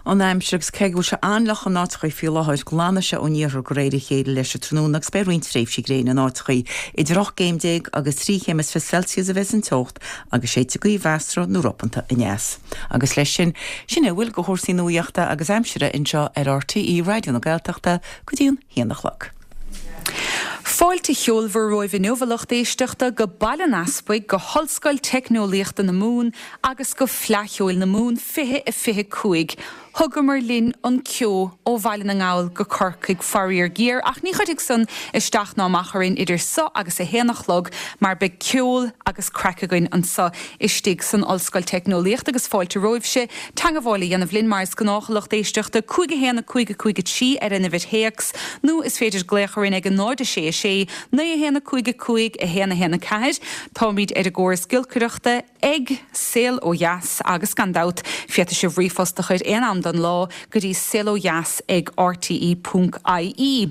An aimsir, agus cé go bhfuil sé an-fhliuch in áiteachaí faoi láthair, glanfaidh sé ón iarthar de réir a chéile leis an tráthnóna agus beidh roinnt tréimhsí gréine in áiteachaí. Idir 18 gcéim agus 13 chéim is Celsius a bheas an teocht agus séidfidh gaoth mheasartha nó ropanta aneas. Agus leis sin, sin é a bhfuil de chúrsaí nuaíochta agus aimsire anseo ar RTÉ Raidió na Gaeltachta go dtí an haon a chlog. Fáilte cheolmhar romhaibh inniu, a lucht éisteachta, go Baile an Easpaig, go hOllscoil Teicneolaíochta na Mumhan agus go Fleadh Cheoil na Mumhan 2025. Thugamar linn an ceo ó Bhaile na nGall go Corcaigh, faraor géar, ach ní chuirfidh san isteach ná amach orainn idir so agus a haon a chlog mar beidh ceol agus craic againn anso istigh san Ollscoil Teicneolaíochta agus fáilte romhaibhse teangabháil a dhéanamh linn mar is gnách, a lucht éisteachta, 5 1 5 5 3 ar an uimhir théacs nó is féidir glaoch orainn ag 0 6 6 9 1 5 5 1 1 4. Táimid ar an gcóras giolcaireachta ag Saol Ó Dheas agus gan dabht féadfaidh sibh ríomhphost a chur aon am den lá go dtí saolodheas ag rte ponc ie.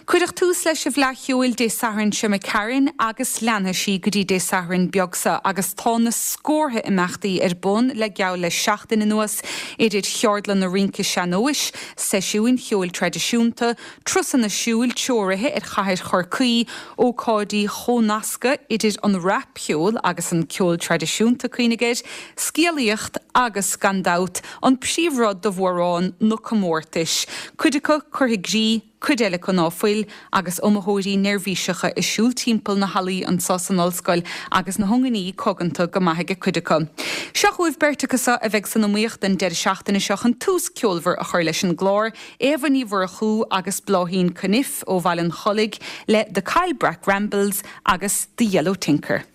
Cuireadh tús leis an bhFleadh Cheoil Dé Sathairn seo imigh tharainn agus leanfaidh sí go dtí Dé Sathairn beag seo agus tá na scórtha imeachtaí ar bun le geall le seachtain anuas, idir cheardlanna rince sean-nóis, seisiúin cheoil traidisiúnta, turasanna siúil treoraithe ar chathair Chorcaí, ócáidí chomhnasctha idir an rapcheol agus an ceol traidisiúnta, cuimhnigh air, scéalaíocht agus, gan dabht, an príomhrud do mhórán, na comórtais, cuid acu curtha i gcrích, cuid eile acu ná fuil, agus iomaitheoirí neirbhíseacha ag siúl timpeall na hallaí anso san ollscoil agus na hionganií coganta go maith aige cuid acu. Seo chugaibh beirt acu so a bheidh san iomaíocht an deireadh seachtaine seo chun tús ceolmhar a chur leis an gclár, Éabha Ní Mhurchú agus Bláithín Cunniffe ó Bhaile an Chollaigh le The Caillebrack Rambles agus The Yellow Tinker.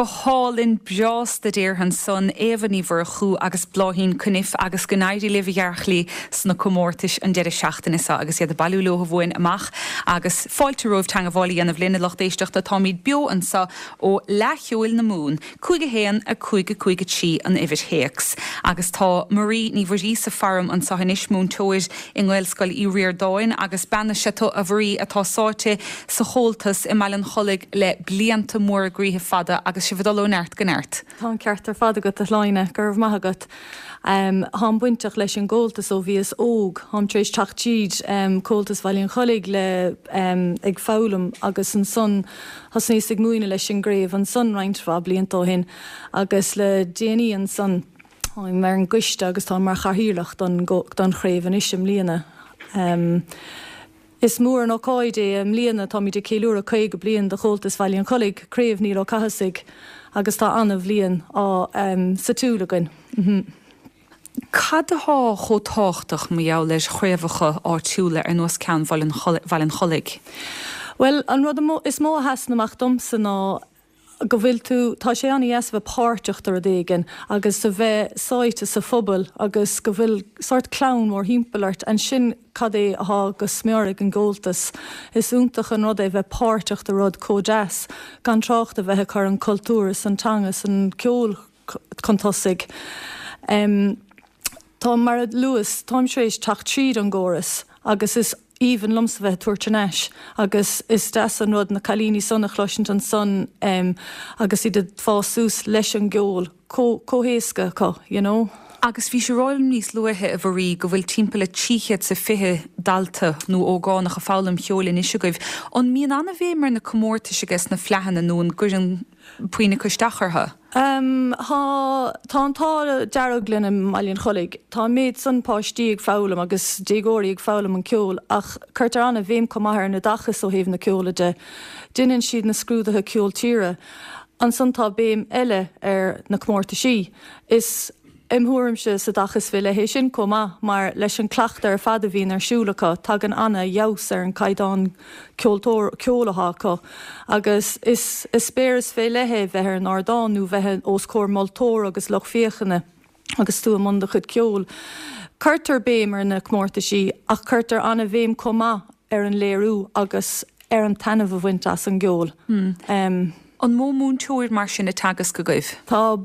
Go hálainn, breásta déarfainn ansan, Éabha Ní Mhurchú agus Bláithín Cunniffe agus go n-éirí libh a ghearrchailí sna comórtais an deireadh seachtaine seo agus iad ag bailiú leo uainn amach agus fáilte romhaibh teangabháil a dhéanamh linn a lucht éisteachta táimid beo anseo ó Fhleadh Cheoil na Mumhan 5 1 5 5 3 an uimhir théacs. Agus tá Marie Ní Mhuiríosa faram anseo anois, múinteoir i nGaelscoil Uí Ríordáin agus bean is ea tú, a Mharie, atá sáite sa Chomhaltas i mBaile an Chollaigh le blianta móra groíthe fada agus sibh ag dul ó neart go neart. Tá an ceart ar fad agat, a Shláine. Go raibh maith agat. Táim bainteach leis an gComhaltas ó bhíos óg. Táim tar éis teacht tríd Comhaltas Bhaile an Chollaigh le ag foghlaim agus ansan Thosnaíos ag múineadh leis an gcraobh ansan roinnt mhaith blianta ó shin agus le déanaí ansan táim ar an gcoiste agus táim mar chathaoirleach don don chraobh anois i mbliana. Is mór an ócáid é i mbliana, táimid ag ceiliúradh 50 bliain de Chomhaltas Bhaile an Chollaigh, Craobh Niall Ó Cathasaigh agus tá ana-bhliain á sa tsiúl againn. Cad atá chomh tábhachtach mar gheall ar chraobhacha áitiúla ar nós ceann Bhaile an Chollaigh? Bhuel, an rud is mó a sheasann amach domsa ná go bhfuil tú, tá sé an-dheas a bheith páirteach de rud éigin agus a bheith sáite sa phobal agus go bhfuil sórt clann mórthimpeall ort. Ansin cad é athá go smior ag an gComhaltas. Is iontach an rud é bheith páirteach de rud chomh deas, gan trácht a bheith ag cur an cultúr is an teanga is an ceol chun tosaigh. Tá, mar a luas, táim tar éis teacht tríd an gcóras agus is aoibhinn liomsa bheith ag tabhairt thar n-ais agus is deas an rud na cailíní san a chloisint ansan agus iad ag fás suas leis an gceol chomh héasca acu, you know. Agus bhís ag rá liom níos luaithe, a Mharie, go bhfuil timpeall le 320 dalta nó ógánach ag foghlaim cheoil anois agaibh. An mbíonn an-bhéim ar na comórtais aige sna fleadhanna nó an gcuireann puinn acu isteach orthu? Tá, tá an t-ádh dearg linn i mBaile an Chollaigh. Tá an méid san páistí ag foghlaim agus déagóirí ag foghlaim an ceol ach cuirtear an-bhéim chomh maith ar an oideachas ó thaobh na ceola de. Deineann siad na scrúduithe ceol tíre. Ansan tá béim eile ar na comórtaisí. Is. Im thuairimse is oideachas fé leith é sin chomh maith mar leis an cleachtadh ar fad a bhíonn ar siúl acu tagann ana fheabhas ar an caighdeán ceoltóir, ceoil athá acu agus is eispéireas fé leith é bheith ar an ardán nó bheith os comhair moltóra agus lucht féachana agus tú i mbun do chuid ceoil. Cuirtear béim ar na comórtaisí ach cuirtear ana bhéim chomh maith ar an léiriú agus ar an taitneamh a bhaint as an gceol. An mó múinteoir mar sin ag teagasc agaibh? Tá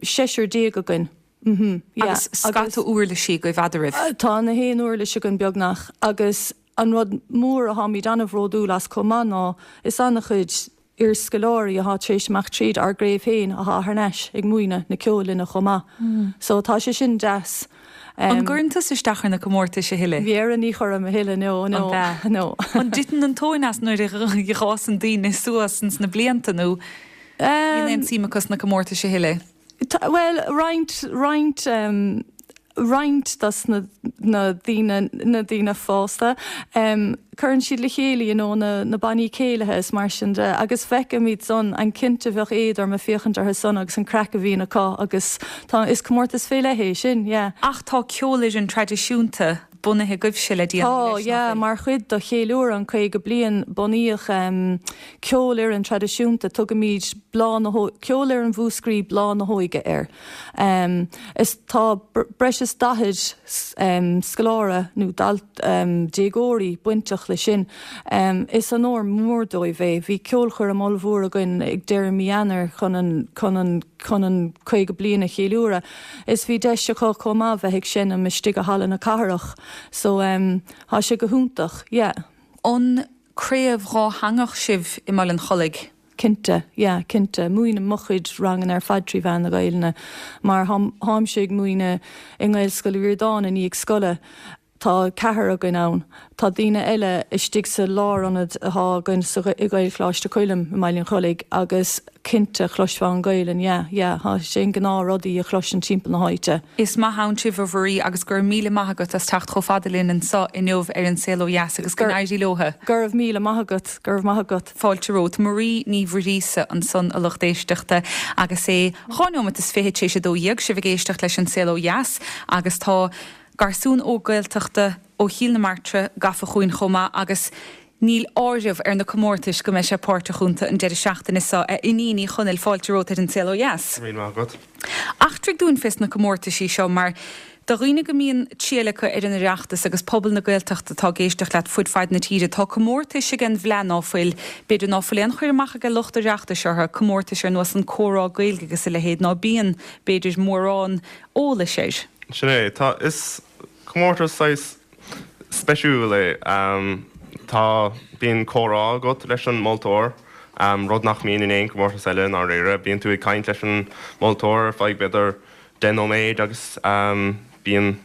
seisear againn. Mhm, yeah. Agus scata uirlisí agaibh eadraibh? Tá na haon uirlis againn beagnach agus an rud mór atháimid an-bhródúil as chomh maith ná is an-chuid iarscoláirí athá tar éis imeacht tríd ár gcraobh féin athá thar n-ais ag múineadh na ceoil linne chomh maith. So tá sé sin deas. An gcuireann tusa isteach ar na comórtais a thuilleadh? Dhera ní chuirim a thuilleadh, no, no, no. An dtiteann an tóin as nuair a dh'fhásann daoine suas ins na blianta nó? Níl aon tsuim acu sna comórtais a thuilleadh. Bhuel, roinnt, roinnt, roinnt dos na, na daoine, na daoine fásta, cuireann siad le chéile, you know, na, na bannaí céilithe is mar sin de agus feicimid san, an cinnte bheadh éad orm ag féachaint orthu san agus an craic a bhíonn acu agus tá, is comórtas fé leith é sin, yeah. Ach tá ceolfhoireann traidisiúnta bunaithe agaibhse le déanaí leis, nach bhfuil? Tá, yeah, mar chuid de cheiliúradh an 50 bliain bunaíodh ceolfhoireann traidisiúnta, tugaimid Bláth na hÓige, Ceolfhoireann Mhúscraí Bláth na hÓige air. Is tá breis is 40 scoláire nó déagóirí bainteach leis sin. Is onóir mór dóibh é. Bhí ceolchoirm ollmhór againn ag deireadh mí Eanáir chun an chun an chun an 50 bliain a cheiliúradh. Is bhí deis acu chomh maith bheith ag seinm istigh i Halla na Cathrach so thá sé go hiontach, yeah. An craobh dhátheangach sibh i mBaile an Chollaigh? Cinnte, yeah, cinnte. Múinim mo chuid ranganna ar fad trí mheán na Gaelainne mar tháimse ag múineadh i nGaelscoil Uí Ríordáin i ndiaidh scoile. Tá ceathrar againn ann. Tá daoine eile istigh sa lárionad athá againn sa i Gaelcholáiste Choilm i mBaile an Chollaigh agus cinnte chloisfeá an Ghaelainn, yeah, yeah, tá sé an gnáth rud í a chloisint timpeall na háite. Is maith ann sibh a Mharie agus go raibh míle maith agat as teacht chomh fada linn anso inniu ar An Saol Ó Dheas agus go n-éirí leotha. Go raibh míle maith agat, go raibh maith agat. Fáilte romhat. Marie Ní Mhuiríosa ansan a lucht éisteachta agus é dhá neomat is fichead tar éis a 12, sibh ag éisteacht leis An Saol Ó Dheas agus tá Garsún óg Gaeltachta ó Chill na Martra gafa chugainn chomh maith agus. Níl áireamh ar na comórtais go mbeidh sé páirteach iontu an deireadh seachtaine seo, a Fhínín Uí Chonaill, fáilte romhat ar An Saol Ó Dheas. Go raibh míle maith agat. Eachtraigh dúinn fés na comórtaisí seo mar do dhaoine go mbíonn triall acu ar an Oireachtas agus pobal na Gaeltachta atá ag éisteacht leat fud fad na tíre, tá comórtais ag an bhFleadh ná fuil, b'fhéidir ná fuil aon chur amach ag lucht Oireachtais orthu, comórtais ar nós an Comhrá Gaeilge agus a leithéid ná bíonn, b'fhéidir, mórán eolais air. Sin é. Tá, is comórtas saghas speisiúil é. Tá, bíonn comhrá agat leis an moltóir, rud nach mbíonn in aon chomórtas eile i ndáiríre. Bíonn tú ag caint leis an moltóir ar feadh b'fhéidir 10 nóiméad agus bíonn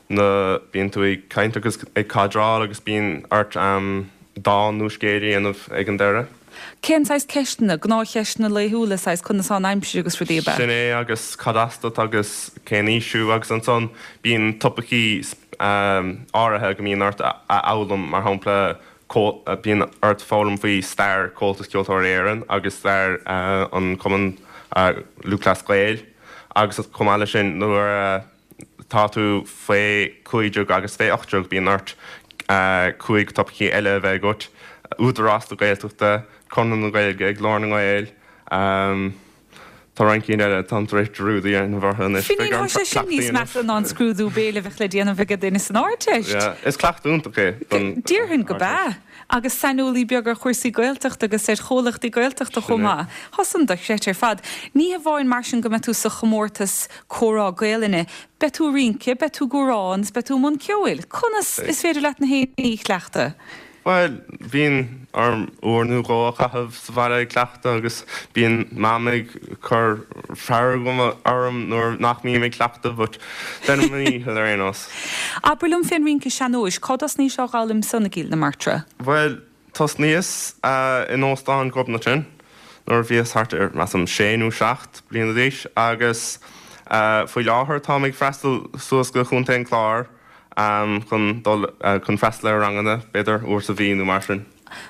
na, bíonn tú ag caint agus ag cadráil agus bíonn ort dán nó scéal a dhéanamh ag an deireadh. Cén saghas ceisteanna? Gnáthcheisteanna laethúla, saghas conas tá an aimsir agus rudaí ab ea? Sin é agus cad as duit agus cén aois thú agus ansan bíonn topaicí áirithe go mbíonn ort a fhoghlaim, mar shampla bíonn ort foghlaim faoi stair Chomhaltas Ceoltóirí Éireann agus stair an Chumann Lúthchleas Gael agus chomh maith leis sin nuair a tá tú faoi 15 agus fé 18 bíonn ort 5 topaicí eile a bheith agat, Údarás na Gaeltachta, Conradh na Gaeilge, Glór na nGael, tá roinnt cinn eile, táim tar éis dearúd a dhéanamh orthu anois, beidh orm cleachtadh a dhéanamh. Finín, tá sé sin níos measa ná an scrúdú béil a bheadh le déanamh ag duine san Ardteist. Yeah, is cleachtadh iontach é don Déarfainn go b'ea. Agus saineolaí beag ar chúrsaí Gaeltachta agus ar chomhlachtaí Gaeltachta chomh maith. Tá san dochreidte ar fad. Ní hamháin mar sin go mbeidh tú sa chomórtas Comhrá Gaelainne, beidh tú ag rince, beidh tú ag amhrán is beidh tú i mbun ceoil. Conas is féidir leat na haon ní a chleachtadh? Bhuel, bíonn orm uair nó dhó a chaitheamh sa bhaile ag cleachtadh agus bíonn Mam ag cur fearg orm nuair nach mbím ag cleachtadh but déanaim mo dhícheall ar aon nós. Abair liom fén rince sean-nóis, cá dtosnaís á dh'fhoghlaim san, a Ghill na Martra? Bhuel, Tosnaíos in Óstán Ghobnatan nuair a bhíos thart ar, measaim, sé nó seacht bliana d'aois agus faoi láthair táim ag freastal suas go Chontae an Chláir chun dul chun freastal ar ranganna, b'fhéidir uair sa mhí nó mar sin.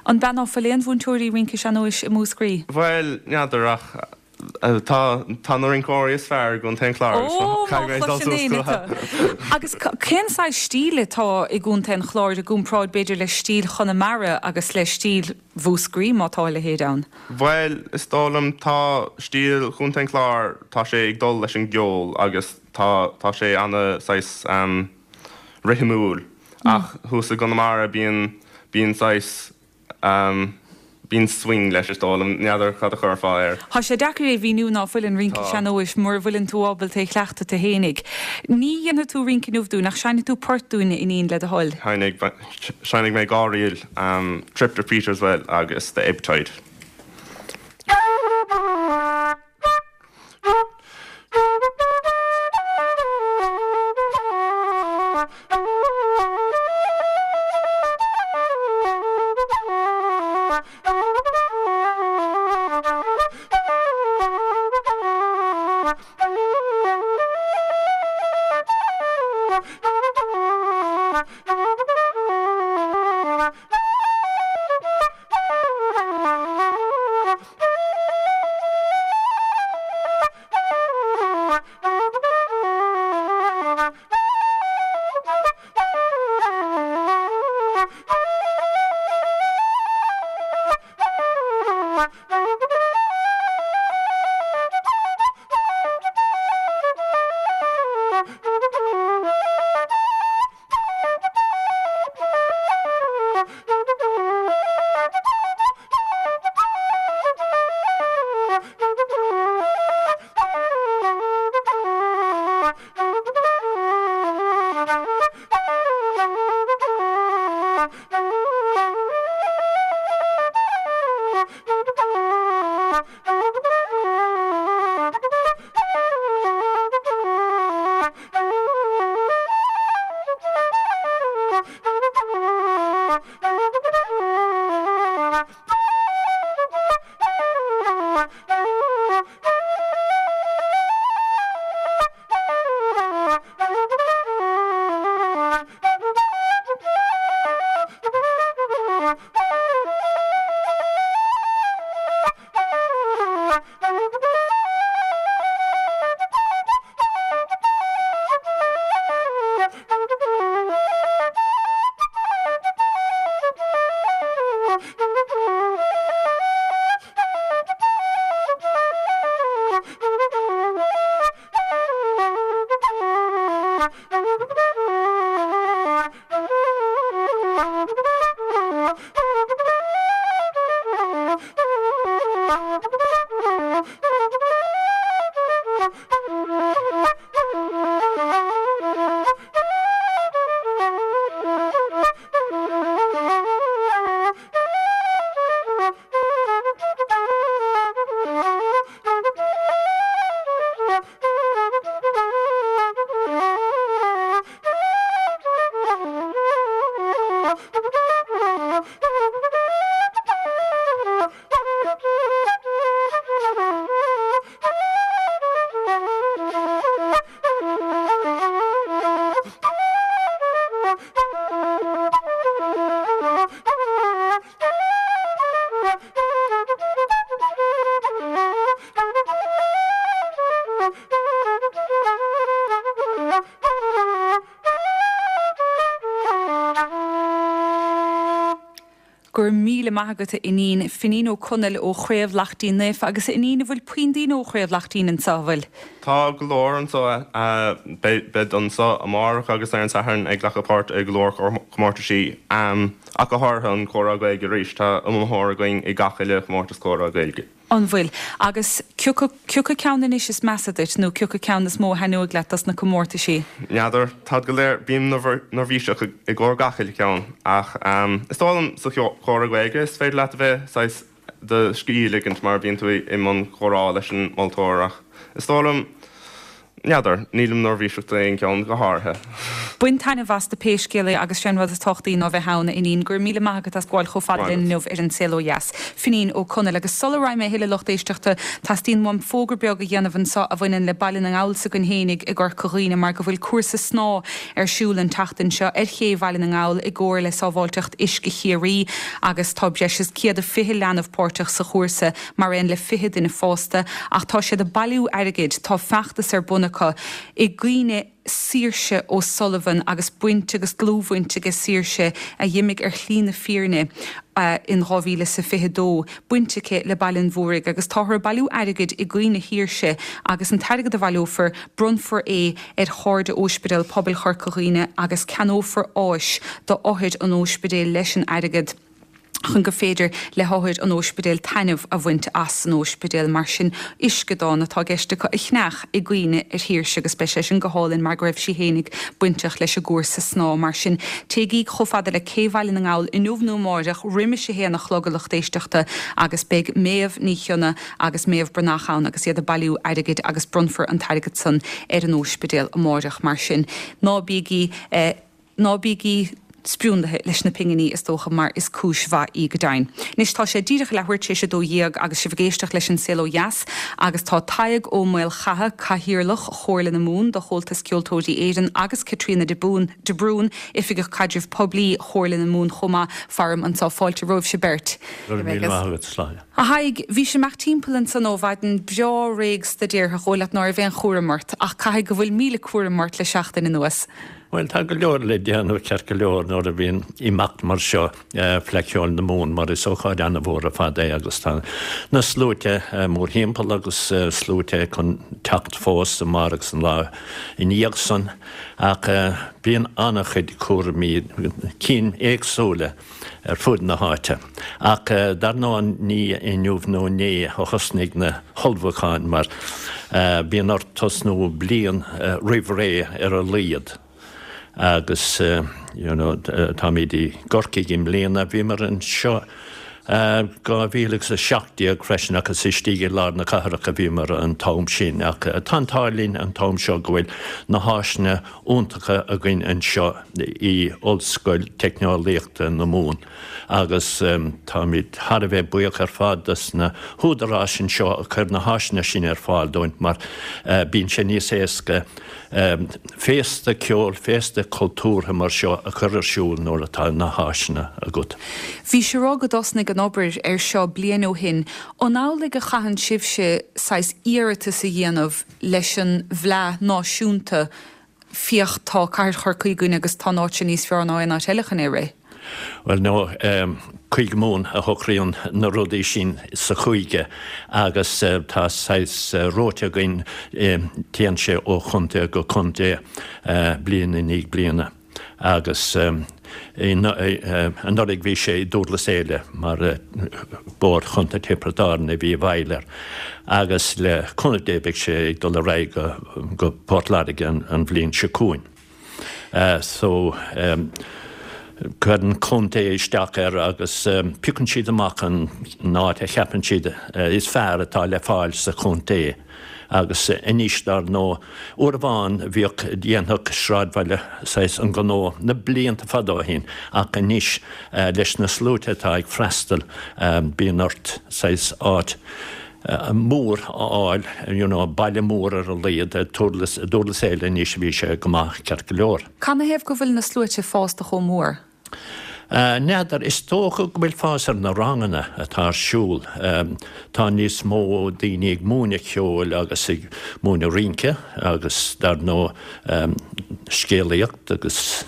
An b'ea ná fuil aon mhúinteoirí rince sean-nóis i Múscraí? Bhuel, n'fheadar ach Tá, tá na rinceoirí is fearr i gContae an Chláir agus Ó, má caithfidh mé dul chloiseann suas éinne tú. Agus cén saghas stíl atá i gContae an Chláir i gcomparáid b'fhéidir le stíl Chonamara agus le stíl Mhúscraí, má tá a leithéid ann? Bhuel, is dóigh liom, tá stíl Chontae an Chláir, tá sé ag dul leis an gceol agus tá, tá sé ana saghas rithimiúil ach thuas i gConamara bíonn, bíonn saghas Bíonn swing leis is dóigh liom, n'fheadar cad a chuirfeá air. Tá sé deacair é a mhíniú ná fuil an rince sean-nóis mura bhfuileann tú ábalta é a chleachtadh tú fhéinig. Ní dhéanfaidh tú rince inniu dúinn ach seinnfidh tú port dúinn a Fhínín le do thoil. Seinnfidh mé dhá ríl, Trip to Peterswell agus The Ebb Tide. Go raibh míle maith agat a Fhínín. Finín Ó Conaill ó Chraobh Laichtín Naofa agus a Fhínín an bhfuil puinn daoine ó Chraobh Laichtín anseo, an bhfuil? Tá go leor anseo. Beid anseo amárach agus ar an Satharn ag glacadh páirt i go leor comórtaisí, ach go háirithe an Comhrá Gaeilge arís. Tá iomaitheoir againn i gach uile chomórtas Comhrá Gaeilge. An bhfuil? Agus cioca, cioca ceann anois is measa duit, nó cioca ceann is mó a thaitneoidh leat dos na comórtaisí? N'fheadar. Táid go léir, bím neirbhíseach i gcomhair gach uile cheann, ach is dóigh liom sa Chomhrá Gaeilge is féidir leat a bheith saghas do scíth a ligint mar bíonn tú i mbun comhrá leis an moltóir ach is dóigh liom, N'fheadar, nílim neirbhíseach d'aon cheann go háirithe. Bain taitneamh astu pé scéal é agus sé an rud is tábhachtaí ná bheith ann, a Fhinín. Go raibh míle maith agat as gabháil chomh fada linn inniu ar An Saol Ó Dheas. Finín Ó Conaill. Agus sula raghaidh mé a thuilleadh lucht éisteachta, teastaíonn uaim fógra beag a dhéanamh anseo a bhaineann le Baile na nGall s'againn fhéinig i gCorca Dhuibhne mar go bhfuil cúrsa snámha ar siúl an tseachtain seo ar ché Bhaile na nGall i gcomhar le Sábháilteacht Uisce Chiarraí agus tá breis is 120 leanbh páirteach sa chúrsa. mar aon le 20 duine fásta, ach tá siad ag bailiú airgid, tá feachtas ar bun acu i gcuimhne Saoirse O'Sullivan agus baint agus dlúthbhaint aige Saoirse, a dh'imigh ar shlí na fírinne in 2022, baint aici le Baile an Mhúraigh agus táthar ag bailiú airgid i gcuimhne Shaoirse agus an t-airgead a bhaileofar, bronnfar é ar Chairde Óispidéal Pobail Chorca Dhuibhne agus ceannófar áis d'othair an óispidéil leis an airgead. chun gur féidir le hothair an óispidéil taitneamh a bhaint as san óispidéal. Mar sin, uisceadán atá i gceist acu a cheannach i gcuimhne ar Shaoirse agus beidh sé sin go hálainn mar go raibh sí fhéinig bainteach leis an gcúrsa snámha. Mar sin, téigí chomh fada le Cé Bhaile na nGall inniu nó amáireach roimis a haon a chlog a lucht éisteachta agus beidh Méabh Ní Chionnaith agus Méabh Breathnach ann agus iad ag bailiú airgid agus bronnfar an t-airgead san ar an óispidéal amáireach. Mar sin, ná bígí. Ná bígí spriúnlaithe leis na pinginí, is dócha, mar is cúis mhaith í go deimhin. Anois, tá sé díreach leathuair tar éis a 12 agus sibh ag éisteacht leis An Saol Ó Dheas agus tá Tadhg Ó Maolchatha, Cathaoirleach Chomhairle na Mumhan do Chomhaltas Ceoltóirí Éireann agus Caitríona de de Brún, Oifigeach Caidrimh Poiblí Chomhairle na Mumhan chomh maith, faram anseo. Fáilte romhaibhse beirt. Go raibh míle maith agat, Sláine. A Thaidhg, bhís ag imeacht timpeall ansan ó mhaidin breá réidh staidéartha, dhóigh leat ná raibh aon chúram ort, ach caithfidh go bhfuil míle cúram ort le seachtain anuas. Bhuel, tá go leor le déanamh ceart go leor nuair a bhíonn imeacht mar seo, Fleadh Cheoil na Mumhan, mar is ócáid an-mhór ar fad é agus tá na sluaite mórthimpeall agus sluaite chun teacht fós amárach agus an lá ina dhiaidh san ach bíonn an-chuid cúraimí, cinn éagsúla ar fud na háite. Ach dar ndóigh ní inniu nó inné a thosnaigh na hullmhúcháin mar bíonn ort tosnú bliain roimh ré ar a laghad agus you know táimid i gCorcaigh i mbliana, bhíomar anseo 2017 freisin ach is istigh i lár na cathrach a bhíomar an t-am sin ach tá an t-ádh linn an t-am seo go bhfuil na háiseanna iontacha againn anseo i Ollscoil Teicneolaíochta na Mumhan agus táimid thar a bheith buíoch ar fad dos na húdaráis anseo a chuir na háiseanna sin ar fáil dúinn mar bíonn sé níos éasca féasta ceoil, féasta cultúrtha mar seo a chur ar siúl nuair atá na háiseanna agat. Bhís ag rá go dtosnaigh an obair ar seo bliain ó shin. An amhlaidh a chaitheann sibhse saghas iarratas a dhéanamh leis an bhFleadh Náisiúnta, féach tá Cathair Chorcaí againn agus tá an áit seo níos fearr ná aon áit eile chun é a rith. Bhuel no, Cúige Mumhan a shocraíonn na rudaí sin sa chúige agus tá saghas rota againn, téann sé ó chontae go contae bliain i ndiaidh bliana agus. Anuraidh bhí sé i Dúrlas Éile mar Bord Chontae Thiobraid Árann a bhí i bhfeighil air agus le cúnamh Dé beidh sé ag dul ar aghaidh go Port Láirge an bhliain seo chugainn. So cuireann contae isteach air agus piocann siad amach an áit a cheapann siad is fearr atá le fáil sa chontae. Agus anois dar ndóigh, uair amháin bhíodh, dhéanfadh sráidbhaile saghas an gnó na blianta fada ó shin ach anois leis na sluaite atá ag freastal bíonn ort saghas áit mór a fháil, you know, baile mór ar a laghad, Dúrlas, Dúrlas Éile anois bhí sé go maith ceart go leor. Canathaobh go bhfuil na sluaite fásta chomh mór? N'fheadar, is dócha go bhfuil fás ar na ranganna atá ar siúl. Tá níos mó daoine ag múineadh ceoil agus ag múineadh rince agus dar ndóigh scéalaíocht agus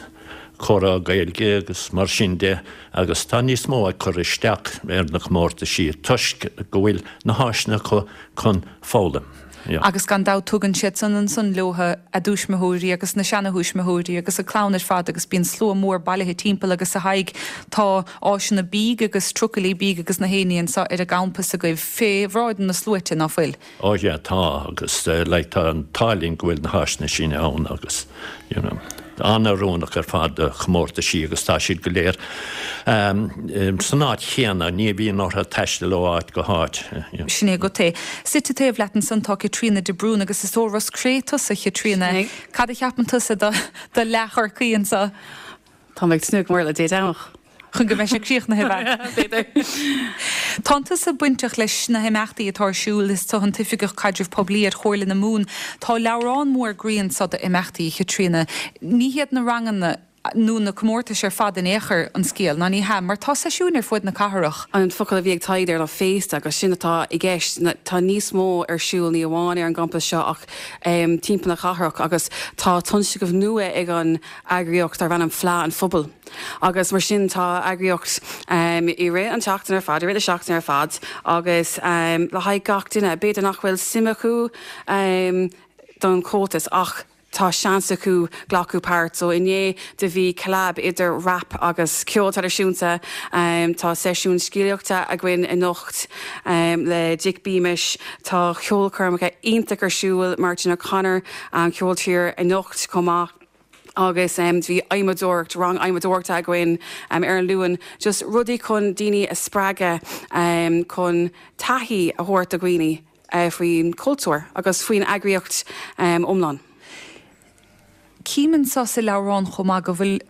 comhrá Gaeilge agus mar sin de agus tá níos mó ag cur isteach ar na comórtaisí toisc go bhfuil na háiseanna acu chun foghlaim. Agus gan dabht tugann siad san ansan leotha a dtuismitheoirí agus na seanathuismitheoirí agus a clann ar fad agus bíonn slua mór bailithe timpeall agus a Thaidhg tá áiseanna bídh agus trucailí bídh agus na haon ní anso ar an gcampas agaibh fé bhráid na sluaite, ná fuil? Ó yeah tá agus like tá an t-ádh linn go bhfuil na háiseanna sin ann agus you know an-oiriúnach ar fad do chomórtaisí agus tá siad go léir san áit chéanna, ní bhíonn orthu taisteal ó áit go háit. Sin é agat é. Suite taobh leat ansan tá Caitríona de Brún agus is ó Ros Cré tusa, a Chaitríona. Sin é. Cad a cheapann tusa do leath-Chorcaí anso? Tá mé ag tnúth go mór le Dé Domhnach. Chun go mbeidh sé críochnaithe, ab ea? B'fhéidir. Tánn tusa bainteach leis na himeachtaí atá ar siúl, is tu an tOifigeach Caidrimh Poiblí ar Chomhairle na Mumhan. Tá leabhrán mór groí anso d'imeachtaí, a Chaitríona. Ní hiad na ranganna nó na comórtais ar fad in aon chor an scéal, ná ní hea, mar tá seisiúin ar fuaid na cathrach. An focal a bhí ag Tadhg there ná féasta agus sin atá i gceist. Tá níos mó ar siúl ní amháin ar an gcampas seo ach timpeall na cathrach agus tá tionscnamh nua ag an eagraíocht darb ainm Fleadh an Phobail. Agus mar sin tá eagraíocht i rith an tseachtain ar fad, i rith na seachtaine ar fad agus le haghaidh gach duine. B'fhéidir nach bhfuil suim acu don Chomhaltas ach tá seans acu glacadh páirt. So inné do bhí collab idir rap agus ceol traidisiúnta. Tá seisiún scéalaíochta againn anocht le Dick Beamish. Tá ceolchoirmeacha iontach ar siúl, Martin O'Connor, ceoltóir anocht chomh maith. agus bhí adhmadóireacht, rang adhmadóireachta againn ar an Luan, just rudaí chun daoine a spreagadh chun taithí a thabhairt do dhaoine faoin chultúr agus faoin eagraíocht iomlán. Cím anseo sa leabhrán chomh maith go bhfuil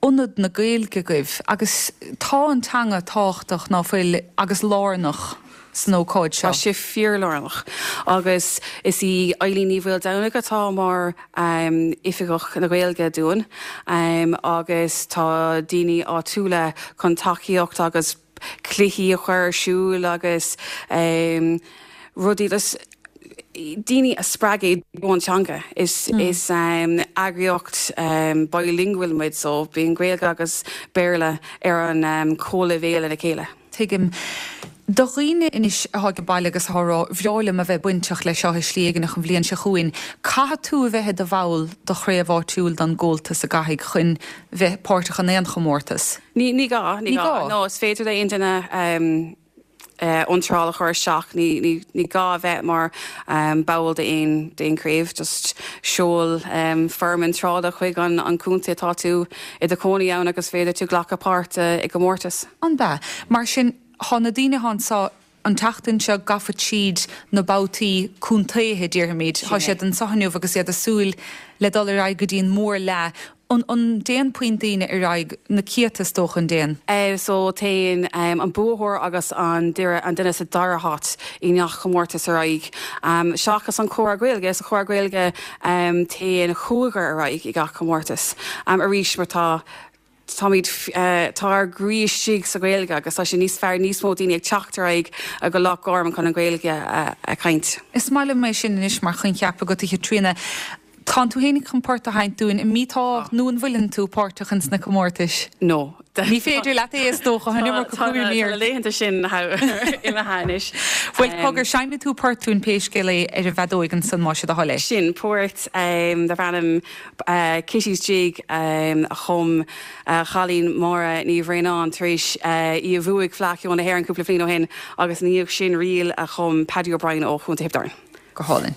Ionad na Gaeilge agaibh agus tá an teanga tábhachtach, ná fuil, agus lárnach san ócáid seo. Tá sé fíorlárnach agus is í Eileen Ní Mhaoldomhnaigh atá mar Oifigeach na Gaeilge dúinn agus tá daoine áitiúla chun tacaíocht agus cluichí a chur ar siúl agus rudaí just daoine a spreagadh i dtreo an teanga. Is eagraíocht bilingual muid so bíonn Gaeilge agus Béarla ar an comhleibhéal lena chéile. Tuigim. Do dhaoine anois atá ag baile agus atá ag rá, bhreá liom a bheith bainteach leis seo i slí éigineach an bhliain seo chugainn, caithfidh tú a bheith i do bhall do chraobh áitiúil don gComhaltas an gcaithfidh chun bheith páirteach in aon chomórtas? Ní, ní gá, ní gá. No, is féidir le aon duine iontráil a chur isteach. Ní, ní, ní gá a bheith mar ball d'aon, d'aon chraobh. Just seol foirm iontrála chuig an, an contae atá tú i do chónaí ann agus féadfaidh tú glacadh páirt i gcomórtas. An b'ea? Mar sin, thá na daoine athá anso an tseachtain seo gafa tríd na babhtaí contaetha, déarfaimid. Thá siad anso inniu agus iad ag súil le dul ar aghaidh go dtí an mhórfhleadh. An dtéann puinn daoine ar aghaidh? Na céadta, is dócha, an dtéann? So téann an buaitheoir agus an duine sa dara háit i ngach comórtas ar aghaidh. Seachas an Comhrá Gaeilge, sa Chomhrá Gaeilge téann cúigear ar aghaidh i gach comórtas. Arís mar tá táimid, tá ár gcroí istigh sa Ghaeilge agus tá sé níos fearr níos mó daoine ag teacht ar aghaidh go Loch Garman chun an Ghaeilge a chaint. Is maith liom é sin anois mar choincheap agat, a Chaitríona. Tánn tú fhéinig chun port a sheinnt dúinn, an mbí tá nó an bhfuileann tú páirteach ins na comórtais? No. Ní féidir leat é is dócha, an iomarca cúraimí ort. Tá na laethanta sin imithe anois. Bhuel, cogar, seinnfidh tú port dúinn pé scéal é ar an bhfeadóig ansan más é do thoil é. Sin port darb ainm Kitty's Jig a chum cailín Máire Ní Bhraonáin tar éis í a bhuaigh Fleadh Cheoil na hÉireann cúpla bliain ó shin agus ina dhiaidh sin ríl a chum Paddy O'Brien ó Chontae Thiobraid Árann. Go hálainn.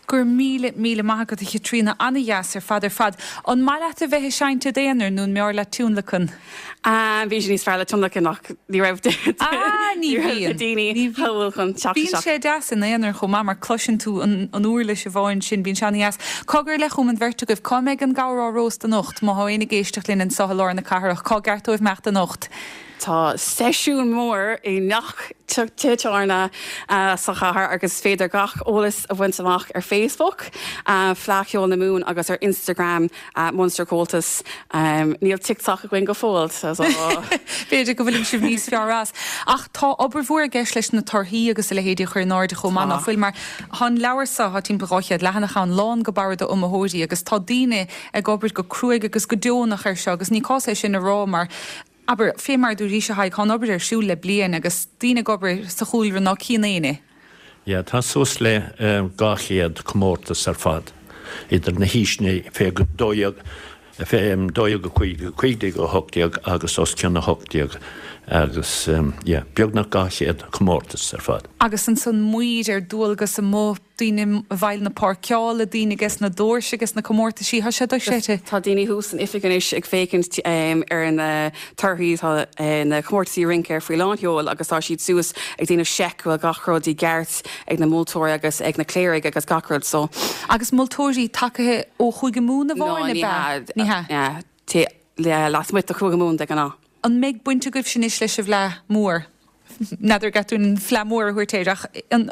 Go raibh míle, míle maith agat a Chaitríona, ana-dheas ar fad ar fad. An maith leat a bheith ag seinnt i d'aonar nó an mb'fhearr leat tionlacan? Bhí sé níos fearr le tionlacan ach ní raibh Ah, ní ní raibh na bhíonn. daoine Ní bhíonn. thall chun teacht Bíonn isteach. sé deas in aonar chomh maith mar cloiseann tú an an uirlis amháin sin, bíonn sé ana-dheas. Cogar le chugam an bheirt agaibh, cá mbeidh an gabhar á róst anocht? Má thá éinne ag éisteacht linn anso i lár na cathrach, cá gceart dóibh imeacht anocht? Tá seisiún mór i ngach tigh tábhairne sa chathair agus is féidir gach eolas a bhaint amach ar Facebook, Fleadh Cheoil na Mumhan agus ar Instagram, Munster Comhaltas. Níl TikTok againn go fóill so. B'fhéidir go bhfuil sibh níos fearr as. Ach tá obair mhór i gceist leis na torthaí agus a leithéidí a chur in airde chomh maith, ná fuil? Mar tá an leabhar seo, tá timpeall 200 leathanach ann, lán go barra d'iomaitheoirí agus tá daoine ag obair go cruaidh agus go deonach air seo agus ní cás é sin a rá mar, abair, fé mar a dúraís, a Thaidhg, tá an obair ar siúl le bliain agus daoine ag obair sa chúlra ná cíonn éinne. Yeah, tá suas le 200 comórtas ar fad idir na haoiseanna fé 12, fé 12 5, 15 18 agus os cionn 18 agus yeah, beagnach 200 comórtas ar fad. Agus ansan maoir ar dualgas amuigh daoine i bhfeighil na páirceála, daoine ages na doirse ages na comórtaisí, tá sé dochreidte. Tá daoine thuas san oifig anois ag féachaint ar na torthaí, tá na comórtaisí rince faoi lán-sheol agus tá siad suas ag déanamh seic go bhfuil gach rud i gceart ag na moltóirí agus ag na cléirigh agus gach rud so. Agus moltóirí tagaithe ó Chúige Mumhan amháin, ab ea? Ní hea. Ní hea. Lasmuigh de Chúige Mumhan de ghnáth. An mbeidh baint agaibhse anois leis an bhFleadh Mhór? N'fheadar an gceart dúinn an Fleadh Mhór a thabhairt air ach an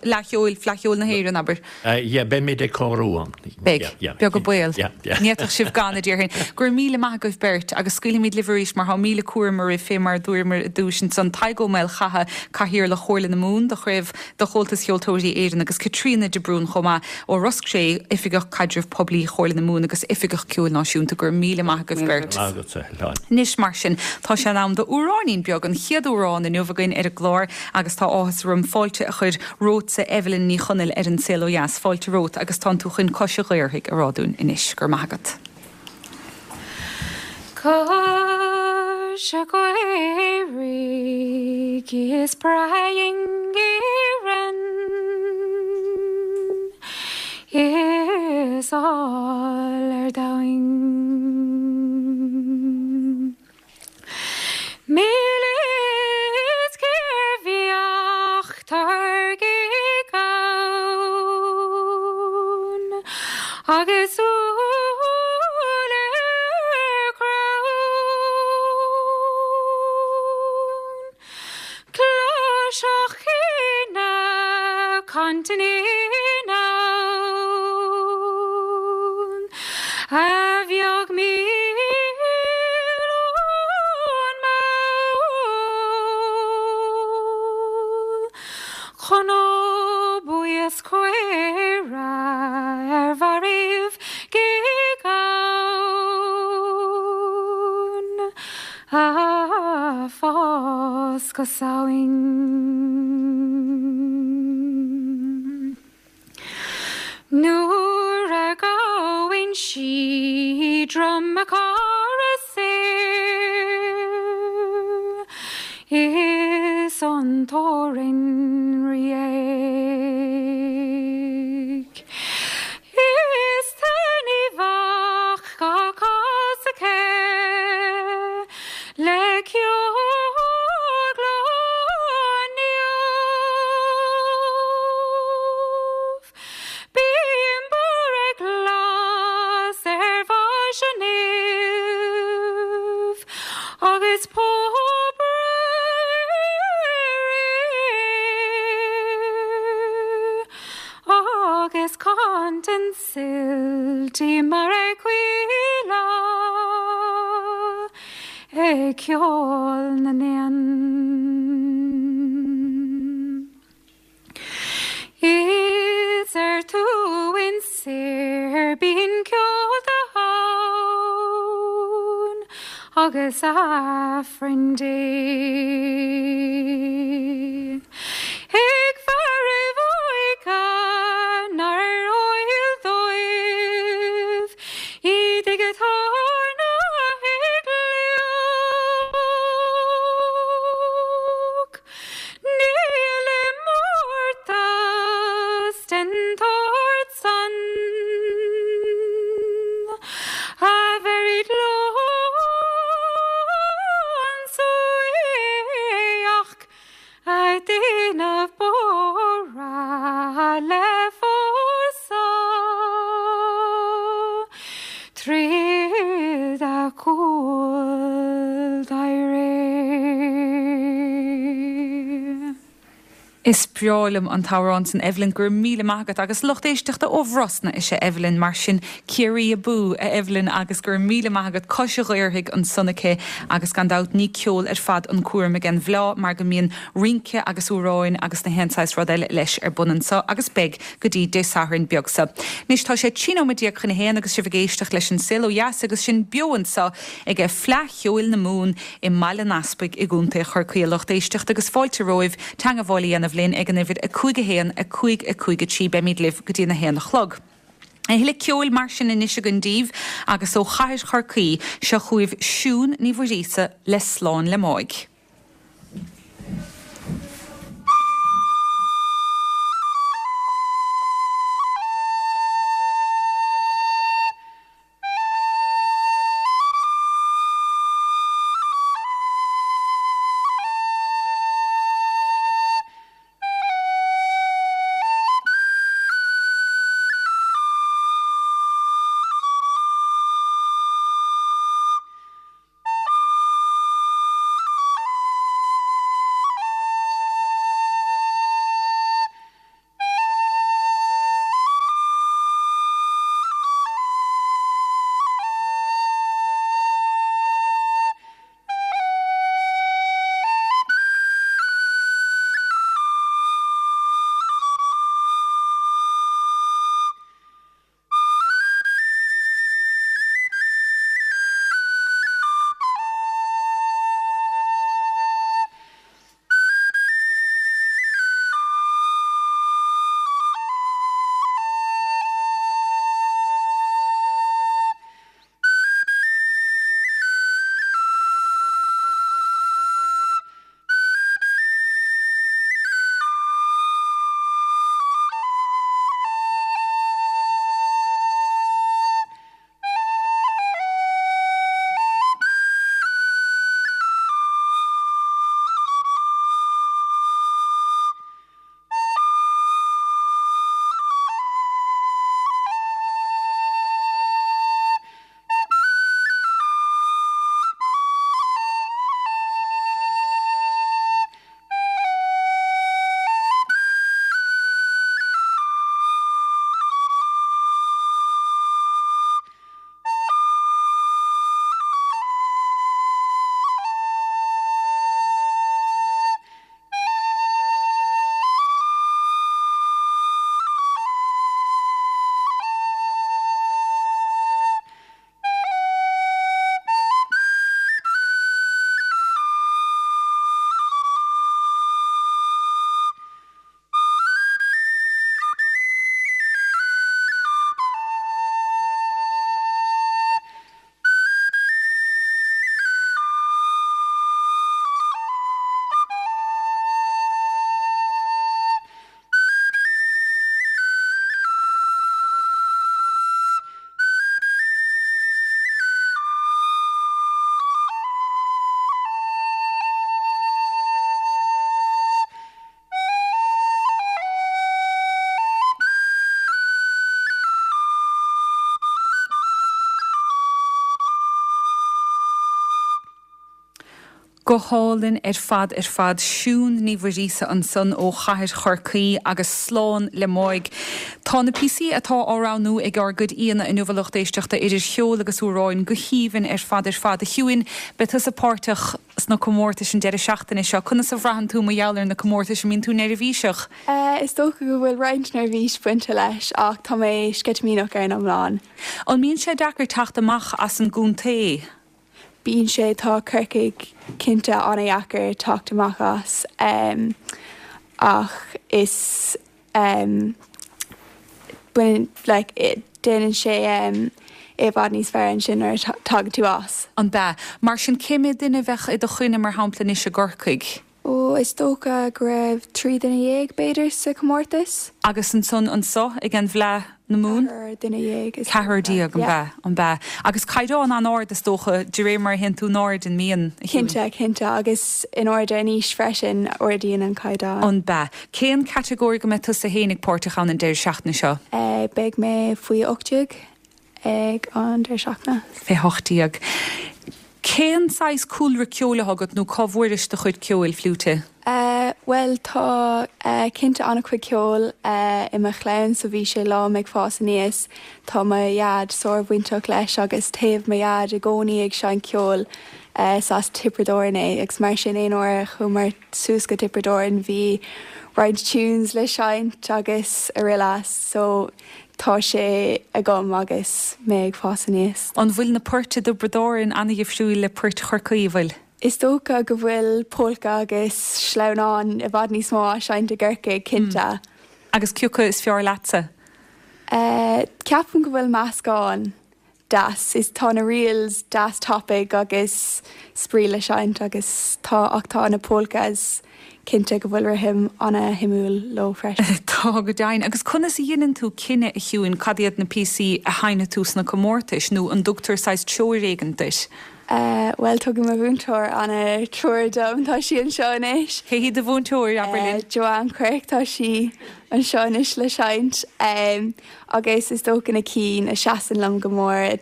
Fhleadh Cheoil, Fleadh Cheoil na hÉireann, abair. Yeah, beimid ag cabhrú ann. Beidh. Beag an baol. Ní fhéadfadh sibh gan, a déarfainn. Go raibh míle maith agaibh beirt agus scaoilfimid libh arís mar tá míle cúram oraibh fé mar a dúramar i dtús ansan. Tadhg Ó Maolchatha, Cathaoirleach Chomhairle na Mumhan do Chraobh de Chomhaltas Cheoltóirí Éireann agus Caitríona de Brún chomh maith ó Ros Cré, Oifigeach Caidrimh Poiblí Chomhairle na Mumhan agus Oifigeach Ceoil Náisiúnta. Go raibh míle maith agaibh beirt. Anois mar sin, tá sé in am do amhráinín beag, an chéad amhrán inniu againn ar an gclár agus tá áthas orm fáilte a chur romhatsa Evelyn Ní Chonaill ar An Saol Ó Dheas. Fáilte romhat agus tánn tú chun Cois a' Ghaorthaidh a rá dúinn anois. Go raibh maith agat. Cois a' Ghaorthaidh is breá i nÉirinn is áil ar domhain. Mílis cérbheadh táirgigh ann agus úll ar crann. Cloisfeadh ina cantain in ann a bheag míol ón mball. Cnó buí is caora ar bharraibh gig ann. A fás go Samhain. Nuair a ghabhann sí Droim a Chara soir is an torann réidh. Is taitneamhach dhá cás aici le ceol glan neamh. Bíonn borradh glas ar bhais an naoimh agus póbaire Agus cantain suilt í mar aquila ag ceol na n-éan. Is ar t'uain soir bíonn ceol ann agus Aifreann Dé. Ag fearaibh óige nár eol dóibh iad ag tairneach ag fliuch. Níl iomórtas den tsórt san a bhéarfaidh lón suaimhneach. Is breá liom an t-amhrán san Evelyn, go raibh míle maith agat. Agus lucht éisteachta ó Bhrosna is ea Evelyn, mar sin Ciarraí abú, a Evelyn, agus go raibh míle maith agat. Cois Ghaorthaidh ansan aici agus gan dabht ní ceol ar fad an cúram ag an bhFleá mar go mbíonn rince agus amhráin agus na haon saghas rud eile leis ar bun anso agus beidh go dtí Dé Sathairn beag seo. Anois tá sé 13 nóiméad chun a haon agus sibh ag éisteacht leis an Saol Ó Dheas agus sinn beo anso ag Fleadh Cheoil na Mumhan i mBaile an Easpaig i gContae Chorcaí. A lucht éisteachta agus fáilte romhaibh teangabháil a dhéanamh linn ag an uimhir 5 1 5 5 3. Beimid libh go dtí an 1 a chlog. A thuilleadh ceoil mar sin anois againn daoibh agus ó chathair Chorcaí, seo chugaibh Siún Ní Mhuiríosa le Slán le Máigh. Go hálainn ar fad ar fad. Siún Ní Mhuiríosa ansan ó chathair Chorcaí agus slán le Máigh. Tá na píosaí atá á roghnú ag ár gcuid aíonna inniu a lucht éisteachta idir cheol agus amhráin go haoibhinn ar fad ar fad. A Shiúin, beidh tusa páirteach sna comórtais an deireadh seachtaine seo. Conas a bhraitheann tú mar gheall ar na comórtais? An mbíonn tú neirbhíseach? Is dócha go bhfuil roinnt neirbhís bainte leis ach tá mé sceitimíneach ar an iomlán. An mbíonn sé deacair teacht amach as an gcontae? Bíonn sé, tá Corcaigh cinnte an-dheacair teacht amach as ach is baineann like déanann sé é i bhfad níos fearr ansin nuair a tagann tú as. An b'ea? Mar sin cé mhéad duine a bheadh i do choinne mar shampla anois i gCorcaigh? Ó, is dócha go raibh 13 duine b'fhéidir sa chomórtas. Agus ansan anso ag an bhFleadh na Mumhan? Ceathrar duine dhéag is dócha. Ceathrar déag, an b'ea? An b'ea? Agus caighdeán an-ard is dócha, de réir mar a théann tú in airde, an mbíonn, a Shiúin? Cinnte, cinnte. Agus in airde in aois freisin, ardaíonn an caighdeán. An b'ea? Cén catagóir go mbeidh tusa féin ag páirteach ann an deireadh seachtaine seo? Beidh mé faoi 18. ag an deireadh seachtaine. Fé 18. Cén saghas cúlra ceoil atá agat nó cá bhfuairis do chuid ceoil, fliúite? Bhuel tá cinnte an-chuid ceoil i mo chlann so bhí sé liom ag fás aníos. Tá mo dhaid sár-bhainteach leis agus théadh mo dhaid i gcónaí ag seinnt ceoil. Is as Tiobraid Árann é agus mar sin aon uair a chuamar suas go Tiobraid Árann bhí roinnt tunes le seinnt agus araile so tá sé agam agus mé ag fás aníos. An bhfuil na poirt i dTiobraid Árann an-dhifriúil le poirt Chorcaí, an bhfuil? Is dócha go bhfuil polca agus sleamhnán i bhfad níos mó á seinnt i gCorcaigh, cinnte. Agus cé acu is fearr leatsa? Ceapaim go bhfuil meascán deas. Is tá na reels deas tapaidh agus spraoi le seinnt agus tá ach tá na polcas cinnte go bhfuil rithim ana-shuimiúil leo freisin. Tá, go deimhin. Agus conas a dheineann tú cinneadh, a Shiúin, cad iad na píosaí a sheinnfidh tú sna comórtais, nó an dtugtar saghas treoir éigin duit? Bhuel, tugann mo mhúinteoir ana-treoir dom, tá sí anseo anois. Cé hí do mhúinteoir, abair linn? Joanne Quirke, tá sí anseo anois le seinnt. Agus is dócha na cinn a seasann liom go mór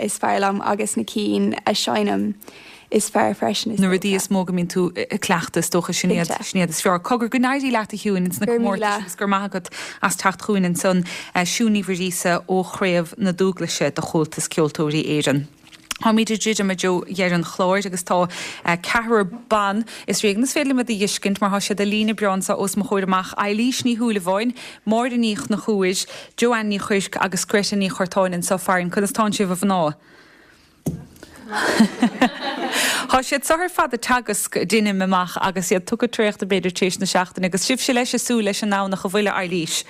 is fearr liom agus na cinn a sheinnim is fearr freisin is dócha. Na rudaí is mó go mbíonn tú ag cleachtadh is dócha sin iad, sin iad is fearr. Cogar, go n-éirí leat a Shiúin ins na comórtais agus go raibh maith agat as teacht chugainn ansan. Siún Ní Mhuiríosa ó Chraobh na Dúglaise de Chomhaltas Ceoltóirí Éireann. Táimid ag druidim i dtreo dheireadh an chláir agus tá ceathrar ban, is ríoga, is féidir liom iad a dh'fheiscint mar tá siad i líne breá anso os mo chomhair amach, Eilís Ní Shúilleabháin, Máire Ní Chonchúir, Joanne Ní Chuirc agus Greta Ní Churtáin anso farainn. Conas tánn sibh a mhná? Tá siad so ar fad ag teagasc, deinim amach, agus iad tugtha traochta b'fhéidir tar éis na seachtaine agus sibhse leis ag súil leis an nDomhnach an bhfuil, a Eilís?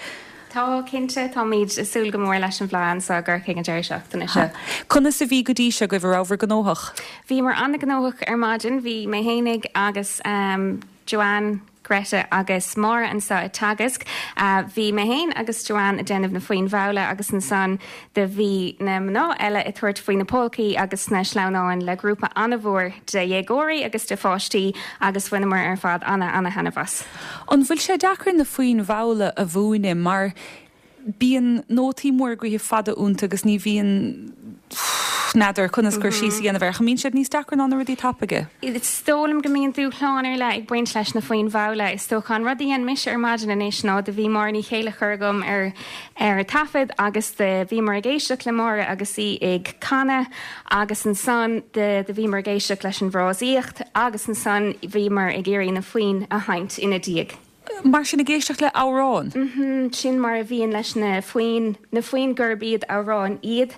Tá, cinnte. Táimid ag súil go mór leis an bhFleadh anso i gCorcaigh an deireadh seachtaine seo. Conas a bhí go dtí seo agaibh? An rabhabhair gnóthach? Bhíomar an-ghnóthach ar maidin. Bhí mé fhéinig agus Joanne, Greta agus Máire anso ag teagasc. Bhí mé fhéin agus Joanne ag déanamh na foinn mhalla agus ansan do bhí na mná eile ag tabhairt faoi na polcaí agus na sleamhnáin le grúpa an-mhór de dhéagóirí agus de pháistí agus bhaineamar ar fad ana-ana-thaitneamh as. An bhfuil sé deacair na foinn mhalla a mhúineadh mar bíonn nótaí móra gaoithe fada iontu agus ní bhíonn, n'fheadar conas cur síos a dhéanamh air, ach an mbíonn siad níos deacra ná na rudaí tapaidh? Is dóigh liom go mbíonn dúshlán ar leith ag baint leis na foinn mhalla. Is dócha an rud a dhein mise ar maidin anois ná do bhí Máire Ní Chéilleachair agam ar ar taifead agus do bhíomar ag éisteacht le Máire agus í ag canadh agus ansan do do bhíomar ag éisteacht leis an bhfrásaíocht agus ansan bhíomar ag iarraidh na foinn a sheinnt ina diaidh. Mar sin ag éisteacht le amhrán? Mhm, sin mar a bhíonn leis na foinn, na foinn gurb iad amhráin iad.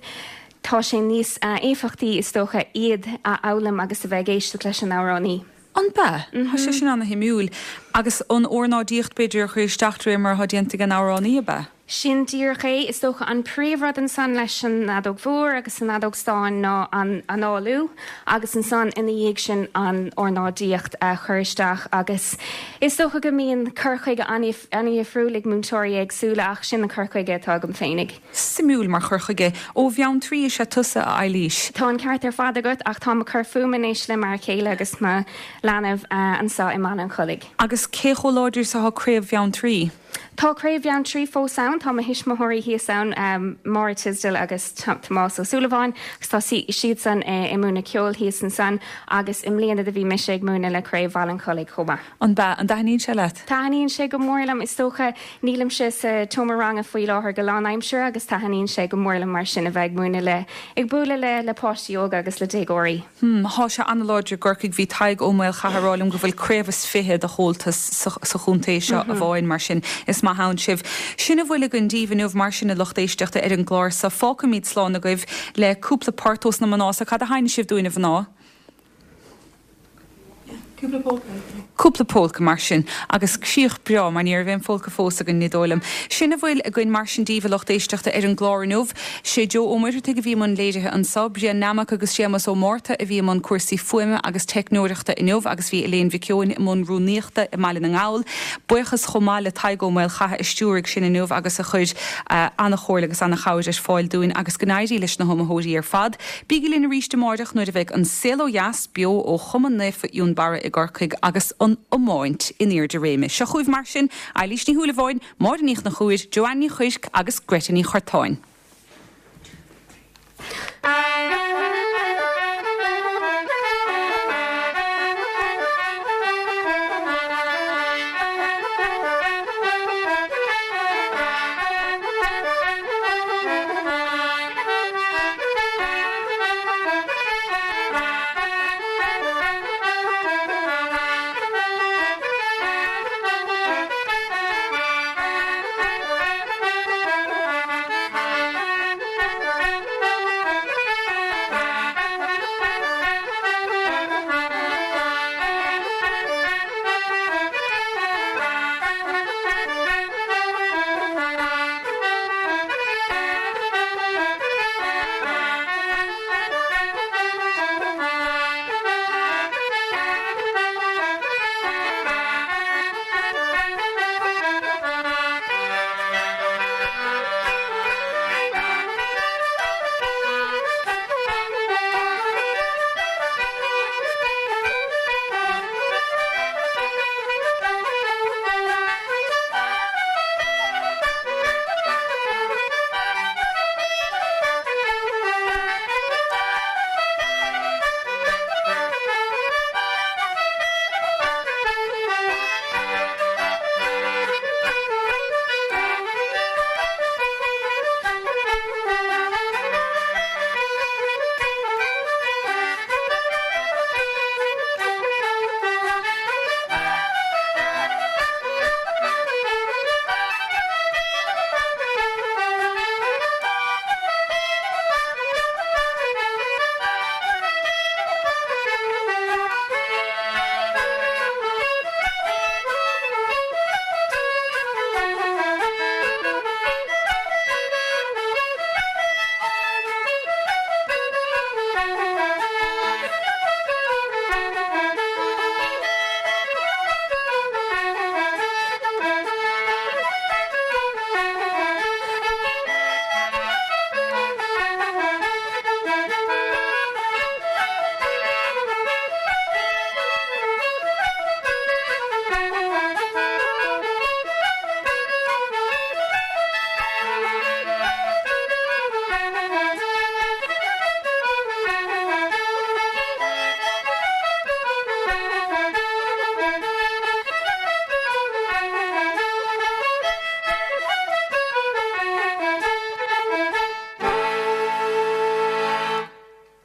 Tá sé níos éifeachtaí is dócha iad a fhoghlaim agus a bheith ag éisteacht leis an amhránaí. An b'ea? Tá sé sin ana-shuimiúil. Agus an ornáidíocht b'fhéidir a chur isteach de réir mar atá déanta ag an amhránaí, ab ea? Sin díreach é. Is dócha an príomhrud ansan leis an fheadóg mhór agus an fheadóg stáin ná an análú agus ansan ina dhiaidh sin an ornáidíocht a chur isteach agus is dócha go mbíonn cur chuige an-dhifriúil ag múinteoirí éagsúla ach sin an cur chuige atá agam féinig. Suimiúil mar chur chuige. Ó Bheanntraí is ea tusa, a Eilís. Tá an ceart ar fad agat ach táim ag cur fúm anois le m'fhear céile agus mo leanbh anso i mBaile an Chollaigh. Agus cé chomh láidir is atá Craobh Bheanntraí? Tá Craobh Bheanntraí fós ann. Tá mo thuismitheoirí thíos ann, Máire Tisdale agus Tomás Ó Súilleabháin, agus tá siadsan ag múineadh ceoil thíos ansan agus i mbliana do bhí mise ag múineadh le Craobh Bhaile an Chollaigh chomh maith. An b'ea? An dtaitníonn sé leat? Taitníonn sé go mór liom. Is dócha, nílimse sa tseomra ranga faoi láthair go lánaimseartha agus taitníonn sé go mór liom mar sin a bheith ag múineadh le, ag bualadh le, le páistí óga agus le déagóirí. Hmm, thá sé an-láidir i gCorcaigh. Bhí Tadhg Ó Maolchatha ag rá liom go bhfuil craobh is fiche de Chomhaltas sa, sa chontae seo amháin, mar sin is maith ann sibh. Sin a bhfuil againn daoibh inniu mar sin a lucht éisteachta ar an gclár so. Fágfaimid slán agaibh le cúpla port ós na mná so. Cad a sheinnfidh sibh dúinn a mhná? Cúpla polca. Cúpla polca mar sin. Agus críoch breá, mar ní raibh aon pholca fós againn, ní dóigh liom. Sin a bhfuil againn mar sin daoibh, a lucht éisteachta, ar an gclár inniu. Sé Joe Ó Muircheartaigh a bhí i mbun léirithe anso, Brian Nammock agus Séamus Ó Márta a bhí i mbun cúrsaí fuaime agus teicneoireachta inniu agus bhí Elaine Mhic Eoin i mbun rúnaíochta i mBaile na nGall. Buíochas chomh maith le Tadhg Ó Maolchatha a stiúraigh sinn inniu agus a chuir an-chomhairle agus an-chabhair ar fáil dúinn agus go n-éirí leis na hiomaitheoirí ar fad. Bígí linn arís amáireach nuair a bheidh An Saol Ó Dheas beo ó Chumann Naofa Fhionnbarra i gCorcaigh agus an iomáint in airde réime. Seo chugaibh mar sin, Eilís Ní Shúilleabháin, Máire Ní Chonchúir, Joanne Ní Chuirc agus Greta Ní Churtáin.